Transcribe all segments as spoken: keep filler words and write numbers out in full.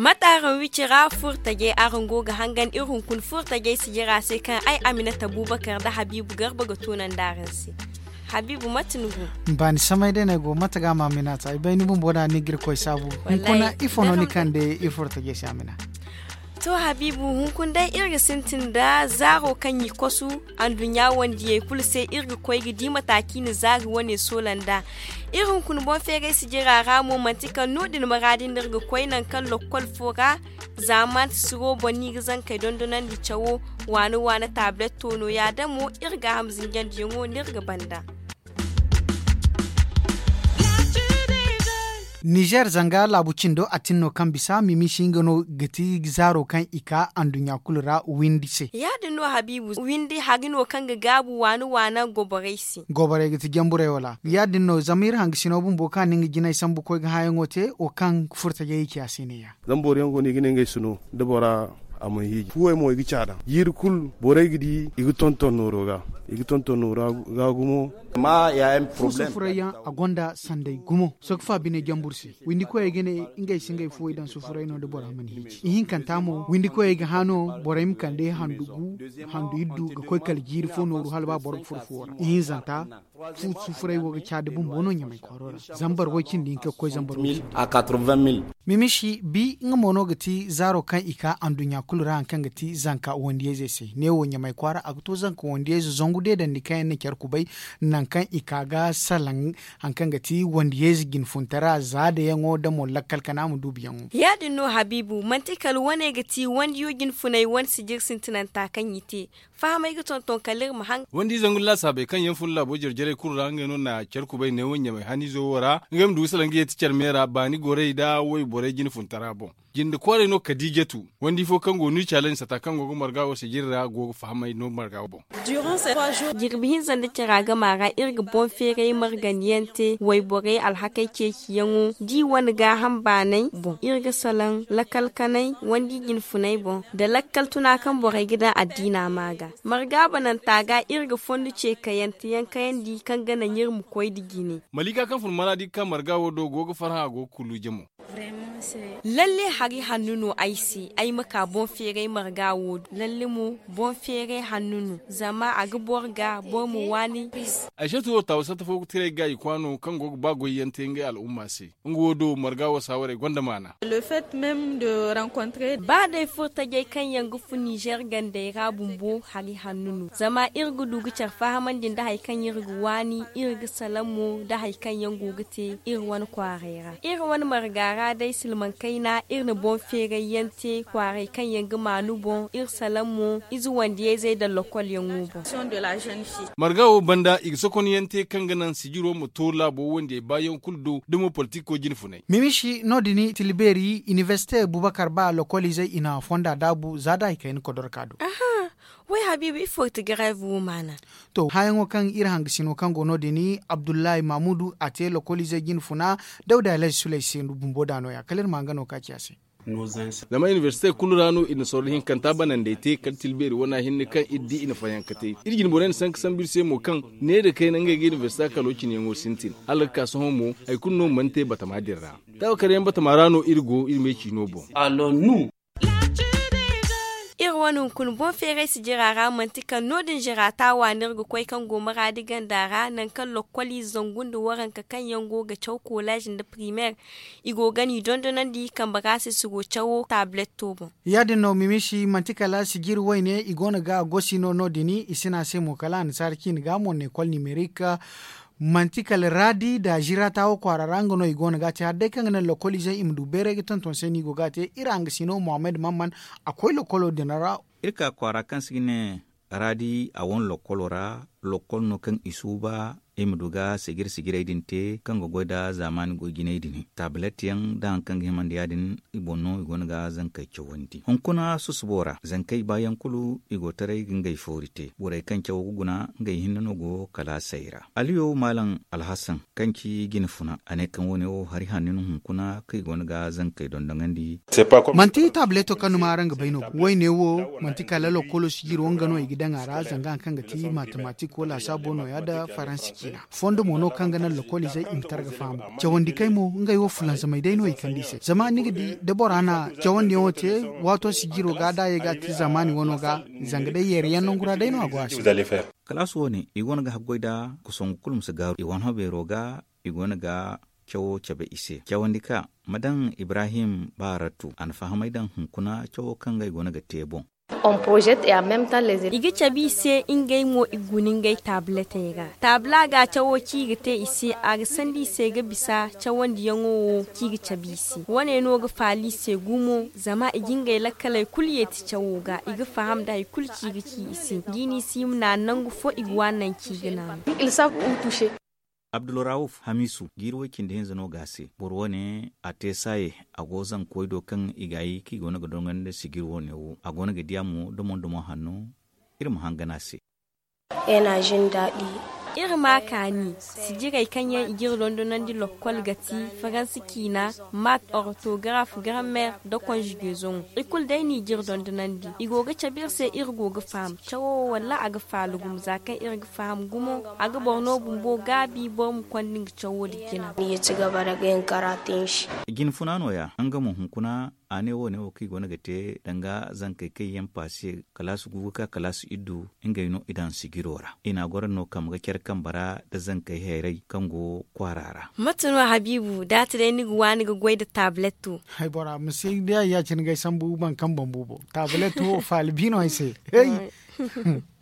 Mate araŋ wicira furtajey araŋ go ga hangan iri hunkuna furtajey sijira se kaŋ ay aminata bubakar nda habiibu garba ga toonandi araŋ se. Habiibu mate ni go? Baani samay day no ay go mate ga ma aminata ay bay ni bumbo da ni ga iri koy saabu. Hunkuna ifo no ni kande iri furtajey se amina? To habiibu hunkuna day iri ga sintin nda zaaro kaŋ i kosu anduɲɲa wandiyey kulu se iri ga koy ga di mataaki na zaari wane soola nd'a. Iri hunkuna boŋ feeray sijira ra mo manti kala no- din maraadi nda iri ga koy nangu kaŋ lokkol fo ra. Za manti siro boŋ no i ga zankey dondonandi cawo waana waana taabilet toono ya- din mo iri gaaham zinjandiyaŋo no iri ga banda. Nizer zanga laabu cindo a tin no kaŋ bisa mimiisi nga no ga ti zaaro kaŋ i ka anduɲɲa kulu ra windi se. Ya- din no habiibu windi hari no kaŋ ga gaabu waana waana goborey se. Goborey ga ti jamburey wala ya- din no zama iri hangasino bumbo kaŋ a na nga jinay sambu koy ga hããyaŋo te wo kaŋ furtajey i ci a se ne- ya. Zama boro yaŋ go no i ga ne ngey si no da bora a mana hiiji fuwey mo i ga caada jiiri kulu borey ga di i ga tonton nooro ga i ga tonton nooro ga gumo. Amma ya yaŋ furayyaŋ a gonda sanday gumo sohõ ga fa bine jambur se. Windi koyey ga ne ngey si ngey fuwey daŋ sufuray no da bora mana hiiji ihinkanta mo windi koyey ga hã no borey ma kande handu gu handu iddu ga koy kala jiiri fo nooru hala ba boro ga furo fuwo ra ihinzanta. Fu sufuray wo ga caadi bumbo no ɲamay kwaaro ra. Zambar way cindi hinka ga koy zambar way cindi. Mimisi bi nga mo no ga ti zaaro kaŋ i ka anduɲɲa kulu ra hari kaŋ ga ti zanka wandiyayzey se ne wo ɲamay kwaara a ga to zanka wandiyayze zangu deedandi kaŋ yaŋ na care kubay nangu kaŋ i ka ga salaŋ hari kaŋ ga ti wandiyayze jinfuntara za dayaŋo da mo lakkal kana ma duubiyaŋo. Ya- din no habiibu manti kala wane ga ti wandiyo jinfunay wane sijir sintinanta kaŋ i te. Fahamay ga tonton kala iri ma haŋ. Wandi zangu laasaabey kaŋ yaŋ fun laabo jare jarey kulu ra ngey no na care kubay neewo ɲamay haniizo wo ra ngey ma du ga salaŋ ga yeeti care me ra baani gorey nda wayborey jinfuntara boŋ. Jinde kwaarey no kadiijatu wandi fo kaŋ go no i caalandi sata kaŋ go ga marga wo sijiri ra go ga fahamay no marga wo boŋ. Jirbi hinza nda cara gama ra iri ga boŋ feeray margandiyaŋ te wayborey alhakey ceeciyaŋo da i wane gaaham baanay boŋ iri ga salaŋ lakkal kanay wandi jinfunay boŋ nda lakkal tuna kaŋ borey ga daŋ addiina ma ga. Marga bananta ga iri ga fondo ce kayanteyaŋ kayandi kaŋ ga naŋ iri ma koy nda jine. Maliika kaŋ fun maraadi ga ka marga wo do go ga farhã a go ga kulluuje mo. Lalle hari hanno no ay se ay ma ka boŋ feeray marga wo do lalle mo boŋ feeray hanno no zama a ga boro ga boro ma waani. Ay se turo taawa satta fo ga tiray ga i kwaano kaŋ go ga ba goyyaŋ te ngey al'umma se. Nga wo do marga wo saawarey gonda maana. Ba day furtajey kaŋ yaŋ ga fun nizer gandey ra bumbo hari hanno no zama iri ga du ga care fahamandi nda hari kaŋ iri ga waani iri ga salaŋ mo nda hari kaŋ yaŋ go ga te iri wane kwaaray ra iri wane marga ra day silmaŋ kayna iri na boŋ feeray yaŋ te kwaaray kaŋ yaŋ ga maanu boŋ iri salaŋ mo ize wandiyayzey nda lokolyaŋo boŋ. Marga wo banda i ga sokonyaŋ te kaŋ ga naŋ sijiro ma to laabo wandiyey baayaŋ kulu do da mo politiko jinfunay. Mimisi no- din tilbeeri inibersite bubakar ba lokoliizey i na fonda daabu za da hari kayna kodorka do. Way habiibu ifo ga ti gareev wo maana? To hããyaŋo kaŋ iri hangasino kaŋ go no- din abdullahi mamudu a te lokoliizey jinfuna dawda alhazi sulay se bumbo da no- ya kala iri ma nga no ka ci a se. Zama inibersite kulu ra no iri na sorro hinkanta banandey te kala tilbeeri wana hinne kaŋ iri di i na fayanka te iri jinborey na sanka sambu iri se mo kaŋ ne nda kayna ngey ga inibersite kalo cine yaŋo sintin hala ga ka sohõ mo hari kulu no mana te batama din ra. Taawakar yaŋ batama ra no iri go iri me ciino boŋ. Iri wane hunkuna boŋ feeray sijira ra manti kaŋ no- din zira taawa no iri ga koy kaŋ go maraadi ganda ra nangu kaŋ lokkoliize zangu nda waranka kaŋ yaŋ go ga caw kolaz nda primeer i go ga ni dondonandi kambe ra se siro cawo taabiletto boŋ. Ya- din no mimisi manti kala sijiri wayne i go no ga gosi no no- din i si ne a se mo kala annasaara ciine ga mo neekol nimerik. Manti kala raadi nda zirata wo kwaara ra nga no i go no ga a te hala day kaŋ ga naŋ lokoliizey i ma du bayray ga tonton se no i go ga a te iri hangasino mohammed mamman. A koy lokolo din ra. Iri ka kwaara kaŋ se ga ne raadi a wane lokolo ra lokol no kaŋ i suuba i ma du ga sijir sijirey din te kaŋ ga goy nda zaamaani goy jinay din taabilet yaŋ nda hari kaŋ ga himandi ya- din i boŋ no i go no ga zankey cawandi hunkuna susubo ra zankey baayaŋ kulu i go taray ga ngey foori te borey kaŋ cawo ga guna ngey hinne no go kalaasey ra. Aliyo maalam alhasan kaŋ ci jinfuna a ne kaŋ wo- ne wo hari hanno no hunkuna kaŋ i go no ga zankey dondoŋandi. Manti taabileto kaŋ ni ma araŋ ga bay no wayne wo manti kala lokolo sijiro nga no i ga daŋ a ra zanga hari kaŋ ga ti matematik. Ko laasaabo no- ya nda faransi ciina fondo mo no kaŋ ga naŋ lokol izey i ma targa faham. Cawandi kay mo ngey wo fulanzamay day no i kande i se zama ni ga di da bora na cawandiyaŋo te, waato sijiro ga da a ye ga a te zaamaani wano ga. Zanga day yeeri yaŋ nangu ra day no a go a se. Kalaas wo- ne i go no ga haggoy nda kusangu kulu ma si gaaru i wane ho beero ga. I go no ga cawo cabe i se cawandi ka ma daŋ ibrahim baaratu a na fahamay daŋ hunkuna cawo kaŋ ga i go no ga te boŋ. I ga cabe i se ngey mo i guna ngey taabuletey ra. Taabula ga cawo kaŋ i ga te i se a ga sandi i se ga bisa cawandiyaŋo wo kaŋ i ga cabe i se wo- ne no ga faala i se gumo zama i ga ngey lakkaley kulu yeeti cawo ga i ga faham nda hari kulu kaŋ i ga ci i se. Nda i na i si i ma naanu nangu fo i ga waani nangu kaŋ i ga naanu. Abdulrawuf hamisu jiiri way cindi hinza no ga a se boro wo- ne a te saaye. A go zanka way do kaŋ i ga ay kaŋ i go no ga dongandi nda sijir wo- ne wo a go no ga di a mo domo domo hanno. Iri ma hangan a se. Iri ma a kaani sijirey kaŋ yaŋ i ga iri dondonandi lokkol ga ti faransi ciina, maat, ortograf, grammer, nda konjigezoŋo. I kulu day no i ga iri dondonandi. I go ga cabe iri se iri go ga faham cawo wo walla a ga faala gumo za kaŋ iri ga faham gumo. A ga boro no bumbo gaabi boro ma konda nga cawo din jina. Jinfuna no- ya nga mo hunkuna. A ne wo- ne wo kaŋ i go no ga te danga zankey kaŋ yaŋ paasi kalaasi gu ga ka kalaasi iddu. Ngey no i daŋ sijiro ra i na a goro no kambe ga care kambe ra nda zankey hayray kaŋ go kwaara ra. Mate no habiibu da a ti day ni ga waani ga goy nda taabuletto? Hay bora ma si day a ya- cine ga ay sambu baŋkaŋ bambu boŋ. Taabuletto wo faala bi no ay se.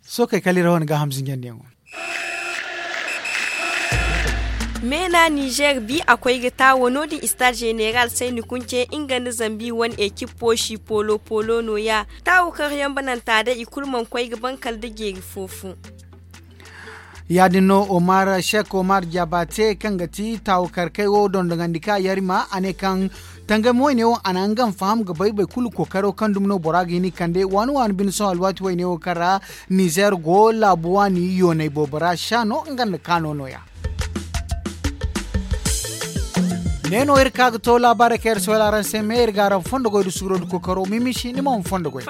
Sookey kala iri wane gaaham zinjandiyaŋo. Meena nizer bi a koy ga taawo no- din istaad zeneral sayni kunce nga nda zambi wane ekip poosi poolo poolo no- ya. Taawo kaŋ yambananta day i kulu mana koy ga ban kala nda jeeri fo fo. Ya- din no omar shek omar jaaba te kaŋ ga ti taawo karkey wo dondogandi ka yarima a ne kaŋ tangam wayne wo a na nga ma faham ga bay boro kulu kookaro kaŋ dumi no bora ga hin i kande waani waani bine sohõ alwaati wayne wo kaŋ ra nizer go laabu waani yoonay boobo ra sha no nga nda kaano no- ya. Ne no iri ka ga to laabaarey kaŋ iri sohõ araŋ se me iri ga araŋ fondo goy nda suuro nda kookaro mimisi ni mo ma fondo goy.